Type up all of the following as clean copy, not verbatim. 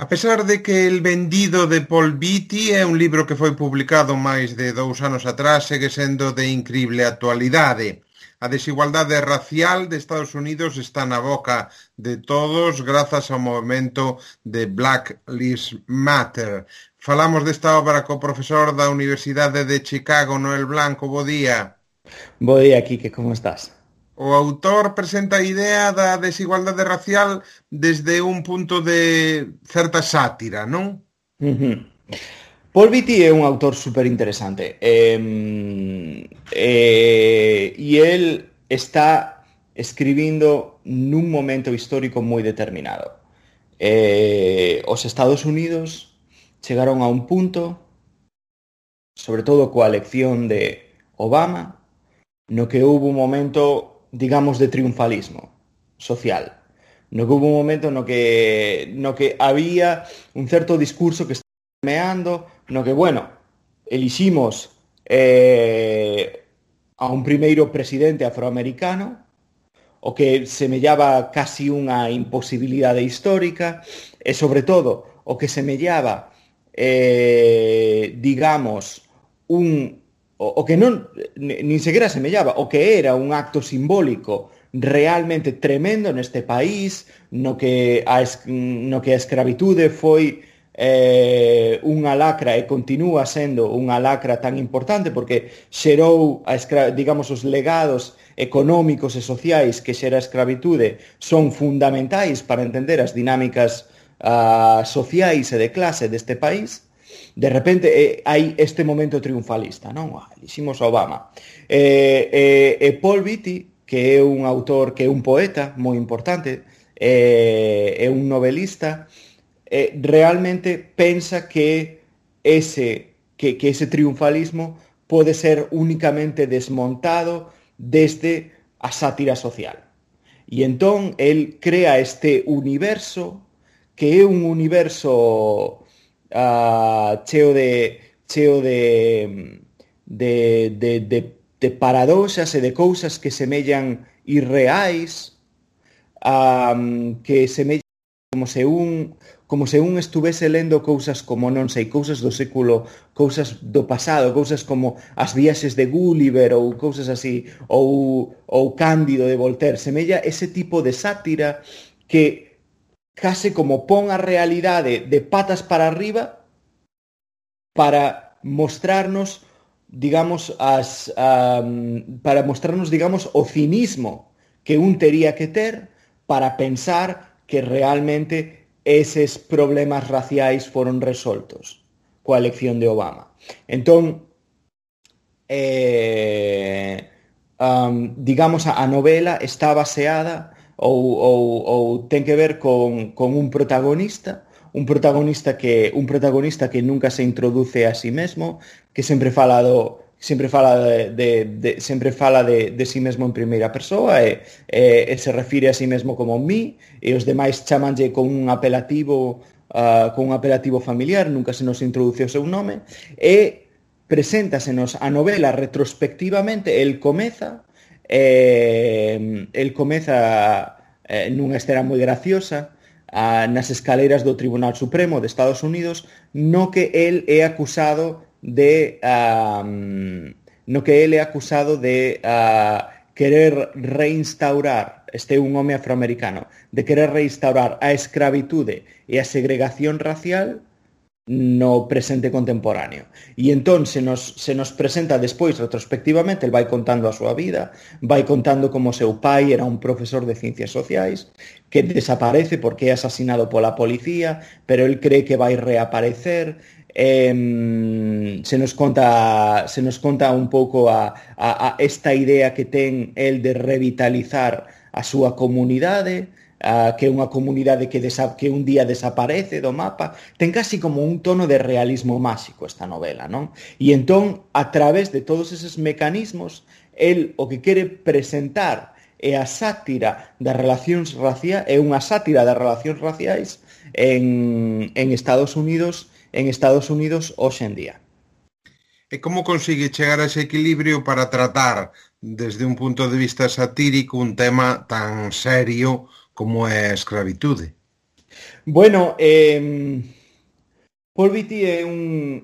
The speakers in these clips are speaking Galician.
A pesar de que El vendido de Paul Beatty é un libro que foi publicado máis de 2 anos atrás, segue sendo de incrible actualidade. A desigualdade racial de Estados Unidos está na boca de todos grazas ao movemento de Black Lives Matter. Falamos desta obra co profesor da Universidade de Chicago, Noel Blanco. Bo día. Bo día, Quique, como estás? O autor presenta a idea da desigualdade racial desde un punto de certa sátira, non? Ujú. Paul Beatty é un autor super interesante e él está escribindo nun momento histórico moi determinado. Os Estados Unidos chegaron a un punto, sobre todo coa elección de Obama, no que hubo un momento, digamos, de triunfalismo social. No que hubo un momento no que había un certo discurso que estaba meando, no que, bueno, eliximos a un primeiro presidente afroamericano, o que semellaba casi unha imposibilidade histórica, e, sobre todo, o que semellaba, digamos, o que non, nin sequera semellaba, o que era un acto simbólico realmente tremendo neste país, no que a escravitude foi unha lacra e continúa sendo unha lacra tan importante porque xerou, digamos, os legados económicos e sociais que xera a escravitude son fundamentais para entender as dinámicas sociais e de clase deste país. De repente hai este momento triunfalista, non? Eliximos a Obama. Paul Beatty, que é un autor, que é un poeta moi importante, é un novelista, realmente pensa que ese triunfalismo pode ser únicamente desmontado desde a sátira social. E entón, el crea este universo que é un universo cheo de paradoxas e de cousas que semellan irreais, que semellan como se un estuvese lendo cousas como, non sei, cousas do século, cousas do pasado, cousas como as viaxes de Gulliver ou cousas así, ou Cándido de Voltaire. Semella ese tipo de sátira que case como pon a realidade de patas para arriba para mostrarnos, digamos, o cinismo que un tería que ter para pensar que realmente eses problemas raciais foron resoltos coa elección de Obama. Entón, digamos, a novela está baseada ou ten que ver con un protagonista que nunca se introduce a sí mesmo, que sempre fala de sí mesmo en primeira persoa e se refire a sí mesmo como mí, e os demais chamanlle con un apelativo familiar, nunca se nos introduce o seu nome, e preséntasenos a novela retrospectivamente. El comeza nunha escena moi graciosa nas escaleras do Tribunal Supremo de Estados Unidos, no que el é acusado de querer reinstaurar, este é un home afroamericano, de querer reinstaurar a escravitude e a segregación racial no presente contemporáneo. E entón se nos presenta despois retrospectivamente, el vai contando a súa vida, vai contando como seu pai era un profesor de ciencias sociais que desaparece porque é asasinado pola policía, pero el cree que vai reaparecer. Se nos conta un pouco a esta idea que ten el de revitalizar a súa comunidade, que é unha comunidade que un día desaparece do mapa. Ten casi como un tono de realismo máxico esta novela, non? E entón, a través de todos eses mecanismos, el o que quere presentar é a sátira das relacións raciais, é unha sátira das relacións raciais en Estados Unidos hoxe en día. E como consigue chegar a ese equilibrio para tratar desde un punto de vista satírico un tema tan serio como é a escravitude? Bueno, Paul Beatty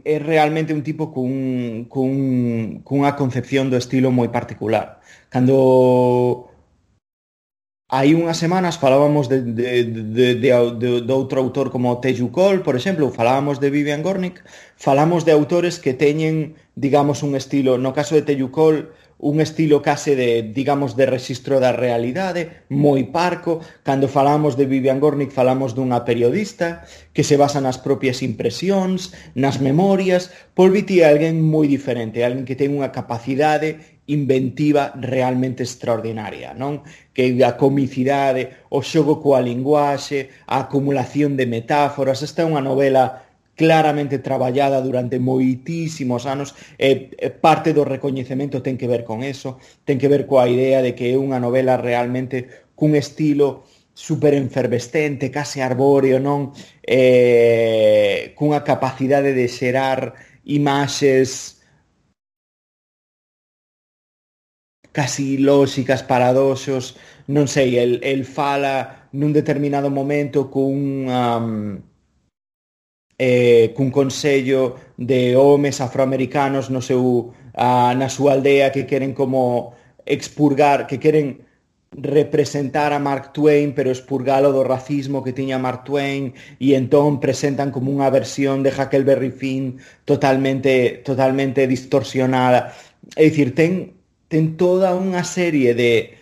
é realmente un tipo cunha concepción do estilo moi particular. Cando hai unhas semanas falábamos de outro autor como Teju Cole, por exemplo, falábamos de Vivian Gornick, falamos de autores que teñen, digamos, un estilo, no caso de Teju Cole, un estilo case de, digamos, de rexistro da realidade, moi parco. Cando falamos de Vivian Gornick falamos dunha periodista que se basa nas propias impresións, nas memorias. Paul Beatty é alguén moi diferente, alguén que ten unha capacidade inventiva realmente extraordinaria, non? Que a comicidade, o xogo coa linguaxe, a acumulación de metáforas. Esta é unha novela claramente traballada durante moitísimos anos, parte do recoñecemento ten que ver con eso, ten que ver coa idea de que é unha novela realmente cun estilo super enfervescente, case arbóreo, non? Cunha capacidade de xerar imaxes casi lóxicas, paradoxos, non sei, el fala nun determinado momento cun consello de homes afroamericanos na súa aldea que queren como expurgar, que queren representar a Mark Twain pero expurgalo do racismo que tiña Mark Twain, e entón presentan como unha versión de Huckleberry Finn totalmente distorsionada. É dicir, ten toda unha serie de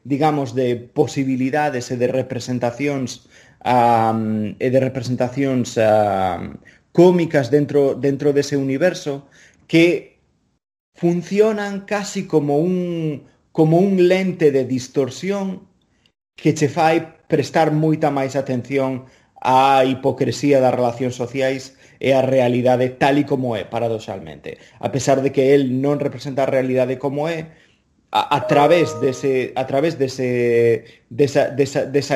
digamos de posibilidades e de representacións cómicas dentro dese universo que funcionan casi como un lente de distorsión que che fai prestar moita máis atención á hipocresía das relacións sociais e a realidade tal e como é, paradoxalmente. A pesar de que el non representa a realidade como é, a través desa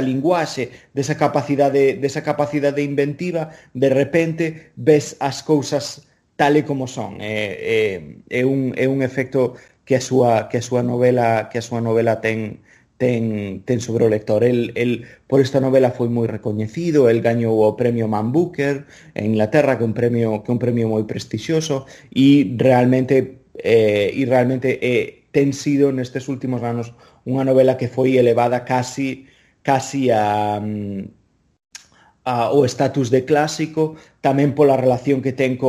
linguaxe, desa capacidade inventiva, de repente ves as cousas tal e como son. É un efecto que a súa novela ten sobre o lector. El por esta novela foi moi recoñecido, el gañou o premio Man Booker en Inglaterra, que é un premio moi prestixioso, e realmente ten sido nestes últimos anos unha novela que foi elevada casi ao estatus de clásico, tamén pola relación que ten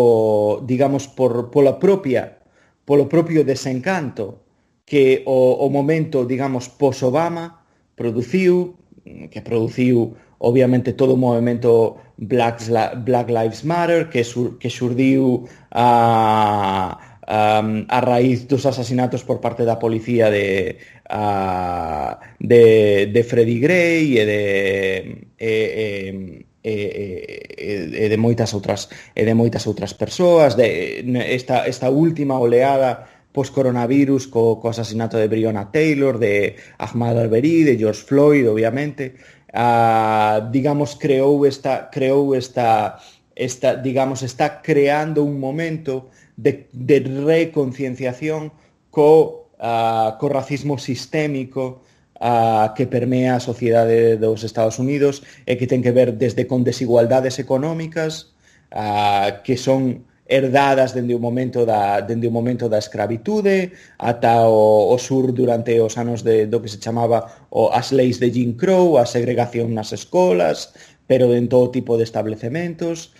digamos, polo propio desencanto que o momento, digamos, pos-Obama produciu obviamente todo o movimento Black Lives Matter que xurdiu a raíz dos asasinatos por parte da policía de Freddie Gray e de moitas outras persoas, esta última oleada post-coronavirus co asasinato de Breonna Taylor, de Ahmaud Arbery, de George Floyd, obviamente. Digamos, está creando un momento de reconcienciación co racismo sistémico que permea a sociedade dos Estados Unidos e que ten que ver desde con desigualdades económicas que son herdadas dende o momento da escravitude ata o sur durante os anos do que se chamaba as leis de Jim Crow, a segregación nas escolas, pero en todo tipo de establecementos,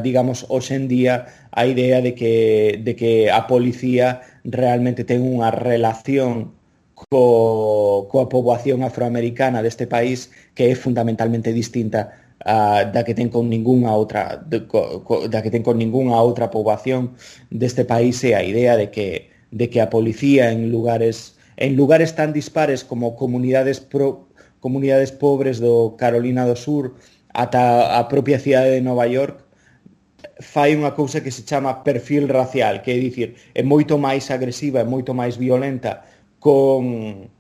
digamos, hoxe en día a idea de que a policía realmente ten unha relación coa poboación afroamericana deste país que é fundamentalmente distinta da que ten con ningunha outra poboación deste país, e a idea de que a policía en lugares tan dispares como comunidades pobres do Carolina do Sur ata a propia cidade de Nova York fai unha cousa que se chama perfil racial, que é dicir, é moito máis agresiva, é moito máis violenta con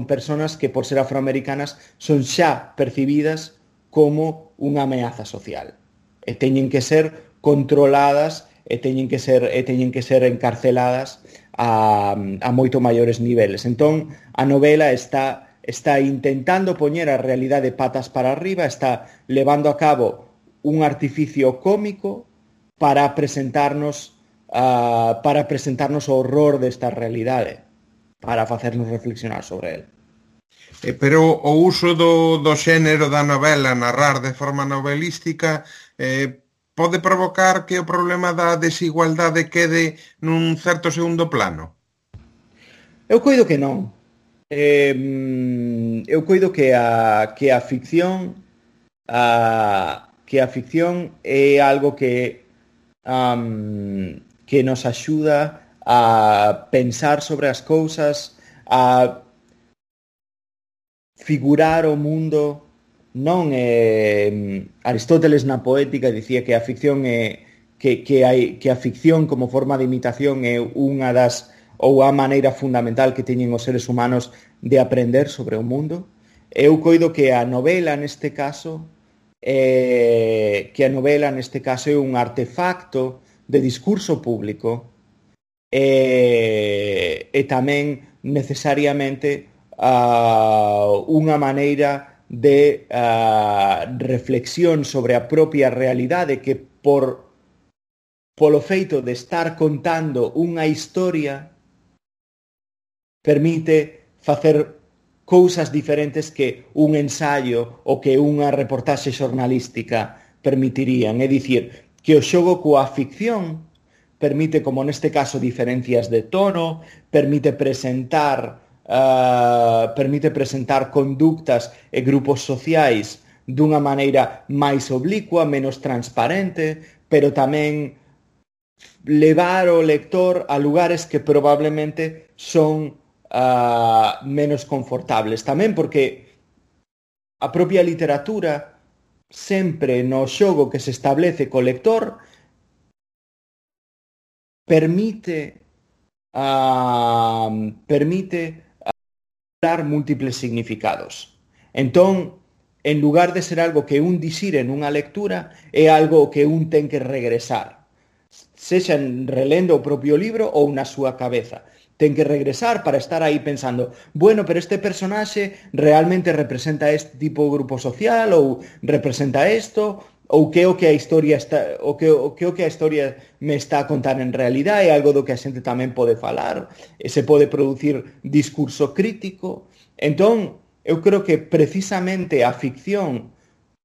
personas que por ser afroamericanas son xa percibidas como unha ameaza social e teñen que ser controladas teñen que ser encarceladas a moito maiores niveles. Entón, a novela está intentando poñer a realidade patas para arriba, está levando a cabo un artificio cómico para presentarnos o horror desta realidade, para facernos reflexionar sobre el. Pero o uso do xénero da novela, narrar de forma novelística, pode provocar que o problema da desigualdade quede nun certo segundo plano? Eu coido que non. Eu coido que a ficción é algo que nos axuda a pensar sobre as cousas, a figurar o mundo. Non Aristóteles na Poética dicía que a ficción que a ficción como forma de imitación é unha das ou a maneira fundamental que teñen os seres humanos de aprender sobre o mundo. Eu coido que a novela neste caso é un artefacto de discurso público e tamén necesariamente unha maneira de reflexión sobre a propia realidade que polo feito de estar contando unha historia permite facer cousas diferentes que un ensaio ou que unha reportaxe xornalística permitirían. É dicir, que o xogo coa ficción permite, como neste caso, diferencias de tono, permite presentar conductas e grupos sociais dunha maneira máis oblicua, menos transparente, pero tamén levar o lector a lugares que probablemente son menos confortables. Tamén porque a propia literatura sempre no xogo que se establece co lector permite dar múltiples significados. Entón, en lugar de ser algo que un dixire nunha lectura, é algo que un ten que regresar, sexa relendo o propio libro ou na súa cabeza. Ten que regresar para estar aí pensando, bueno, pero este personaxe realmente representa este tipo de grupo social ou representa isto, ou que o que a historia me está a contar en realidade, é algo do que a xente tamén pode falar, e se pode producir discurso crítico. Entón, eu creo que precisamente a ficción,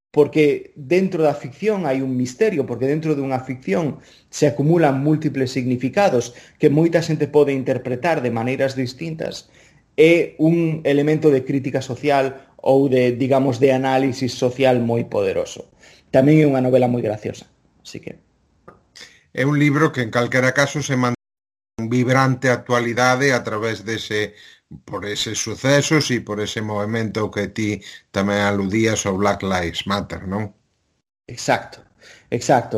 porque dentro da ficción hai un misterio, porque dentro dunha ficción se acumulan múltiples significados que moita xente pode interpretar de maneiras distintas, é un elemento de crítica social ou de, digamos, de análisis social moi poderoso. Tamén é unha novela moi graciosa, así que... É un libro que en calquera caso se mantén vibrante actualidade a través por eses sucesos e por ese movimento que ti tamén aludías ao Black Lives Matter, non? Exacto.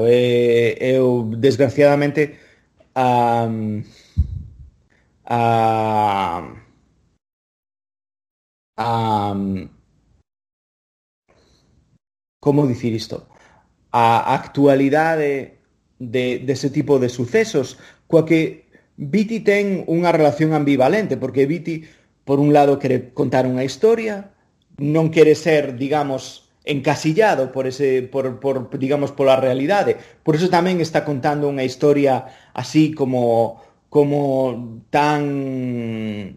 Eu, desgraciadamente, como dicir isto? A actualidade dese tipo de sucesos, coa que Beatty ten unha relación ambivalente, porque Beatty, por un lado, quere contar unha historia, non quere ser, digamos, encasillado digamos, pola realidade. Por eso tamén está contando unha historia así como tan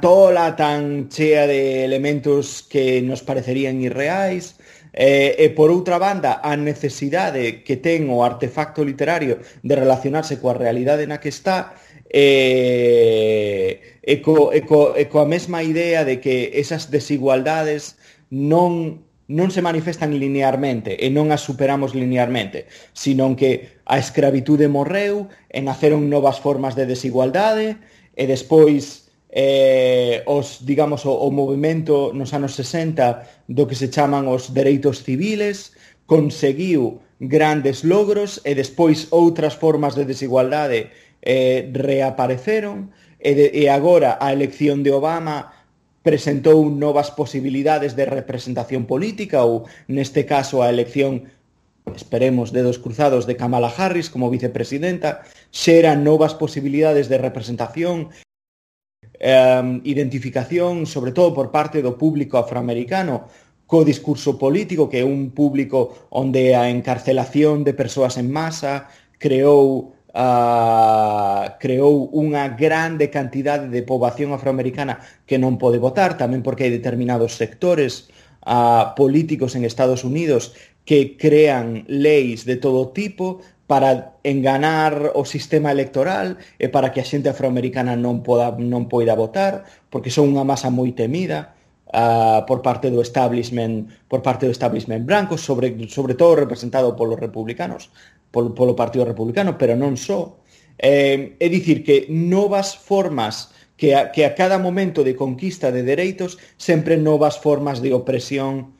tola, tan chea de elementos que nos parecerían irreais. E por outra banda, a necesidade que ten o artefacto literario de relacionarse coa realidade na que está e coa mesma idea de que esas desigualdades non se manifestan linearmente e non as superamos linearmente, sino que a escravitude morreu e naceron novas formas de desigualdade e despois o movimento nos anos 60 do que se chaman os dereitos civiles conseguiu grandes logros e despois outras formas de desigualdade reapareceron e agora a elección de Obama presentou novas posibilidades de representación política ou neste caso a elección esperemos, dedos cruzados, de Kamala Harris como vicepresidenta, xeran novas posibilidades de representación, identificación, sobre todo por parte do público afroamericano, co discurso político, que é un público onde a encarcelación de persoas en masa creou unha grande cantidade de poboación afroamericana que non pode votar, tamén porque hai determinados sectores políticos en Estados Unidos que crean leis de todo tipo para enganar o sistema electoral e para que a xente afroamericana non poida votar, porque son unha masa moi temida por parte do establishment branco, sobre todo representado polos republicanos, polo Partido Republicano, pero non só. É dicir que novas formas que a cada momento de conquista de dereitos sempre novas formas de opresión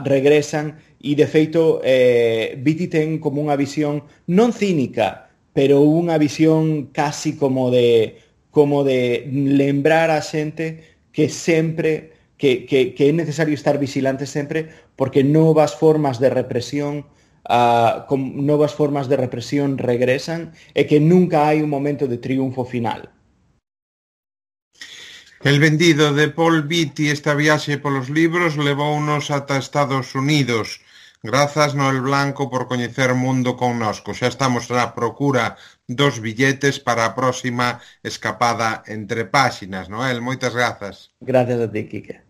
regresan e de feito Beatty ten como unha visión non cínica, pero unha visión casi como de lembrar a xente que sempre que é necesario estar vigilante sempre porque novas formas de represión regresan e que nunca hai un momento de triunfo final. El vendido de Paul Beatty, esta viaxe polos libros, levounos ata Estados Unidos. Grazas, Noel Blanco, por coñecer o mundo connosco. Xa estamos na procura dos billetes para a próxima escapada entre páxinas. Noel, moitas grazas. Gracias a ti, Quique.